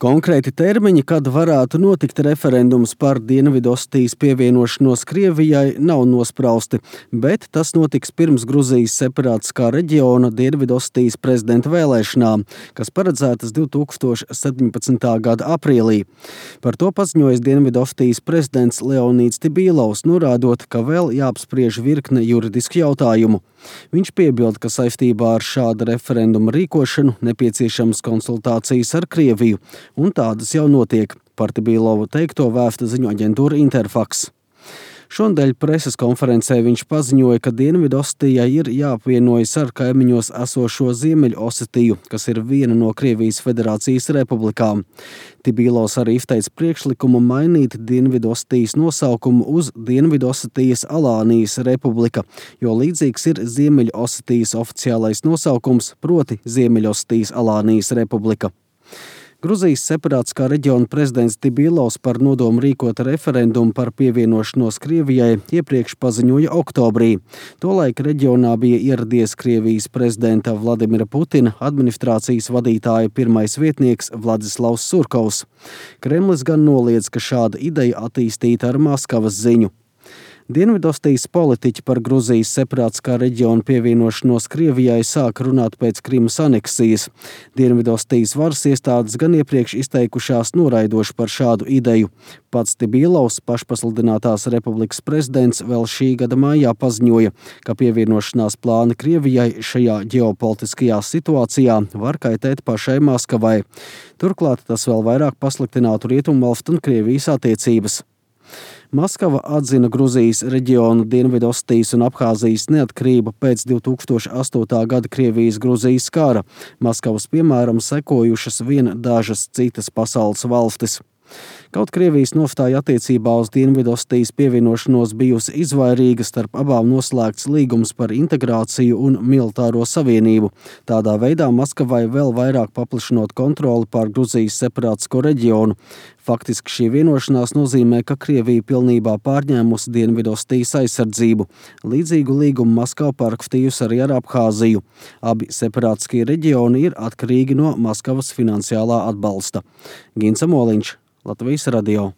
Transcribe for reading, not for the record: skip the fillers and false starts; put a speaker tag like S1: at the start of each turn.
S1: Konkrēti termiņi, kad varētu notikt referendums par Dienvidostijas pievienošanos Krievijai, nav nosprausti, bet tas notiks pirms Gruzijas separātiskā reģiona Dienvidostijas prezidenta vēlēšanām, kas paredzētas 2017. gada aprīlī. Par to paziņojis Dienvidostijas prezidents Leonīds Tibīlovs, norādot, ka vēl jāapspriež virkne juridisku jautājumu. Viņš piebilda, ka saistībā ar šāda referenduma rīkošanu nepieciešamas konsultācijas ar Krieviju, un tādas jau notiek. Par Tibīlovu teikto vēsta ziņu aģentūra Interfax. Šonadēļ preses konferencē viņš paziņoja, ka Dienvidostijai ir jāapvienojas ar kaimiņos esošo Ziemeļosetiju, kas ir viena no Krievijas Federācijas republikām. Tibīlovs arī izteica priekšlikumu mainīt Dienvidostijas nosaukumu uz Dienvidosetijas Alānijas republika, jo līdzīgs ir Ziemeļosetijas oficiālais nosaukums, proti Ziemeļosetijas Alānijas republika. Gruzijas separātiskā reģiona prezidents Tibīlovs par nodomu rīkot referendumu par pievienošanos Krievijai iepriekš paziņoja oktobrī. Tolaik reģionā bija ieradies Krievijas prezidenta Vladimira Putina administrācijas vadītāja pirmais vietnieks Vladislavs Surkovs. Kremlis gan noliedz, ka šāda ideja attīstīta ar Maskavas ziņu. Dienvidostijas politiķi par Gruzijas separātiskā reģiona pievienošanos Krievijai sāk runāt pēc Krimas aneksijas. Dienvidostijas varas iestādes gan iepriekš izteikušās noraidoši par šādu ideju. Pats Tibīlovs, pašpasludinātās republikas prezidents, vēl šī gada maijā paziņoja, ka pievienošanās plāni Krievijai šajā ģeopolitiskajā situācijā var kaitēt pašai Maskavai. Turklāt tas vēl vairāk pasliktinātu Rietumvalstu un Krievijas attiecības. Maskava atzina Gruzijas reģionu Dienvidostijas un Abhāzijas neatkarību pēc 2008. gada Krievijas-Gruzijas kara. Maskavas piemēram sekojušas vien dažas citas pasaules valstis. Kaut Krievijas nostāja attiecībā uz Dienvidostijas pievienošanos bijusi izvairīga, starp abām noslēgts līgums par integrāciju un militāro savienību. Tādā veidā Maskavai vēl vairāk paplašinot kontroli pār Gruzijas separātisko reģionu. Faktiski šī vienošanās nozīmē, ka Krievija pilnībā pārņēmusi Dienvidostijas aizsardzību. Līdzīgu līgumu Maskava parakstījusi arī ar Abhāziju. Abi separātiskie reģioni ir atkarīgi no Maskavas finansiālā atbalsta. Gins Amoliņš, Latvijas radio.